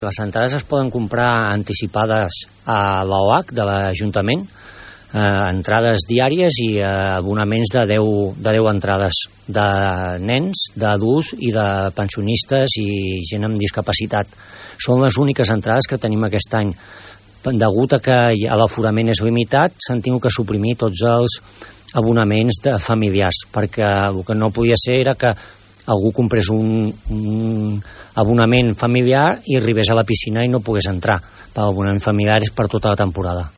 Les entrades es poden comprar anticipades a l'OAC de l'Ajuntament, entrades diàries i abonaments de 10 entrades de nens, d'adults i de pensionistes i gent amb discapacitat. Són les úniques entrades que tenim aquest any. Degut a que l'aforament és limitat, s'han tingut que suprimir tots els abonaments de familiars, perquè el que no podia ser era que algú comprés un abonament familiar i arribés a la piscina i no pogués entrar. L'abonament familiar és per tota la temporada.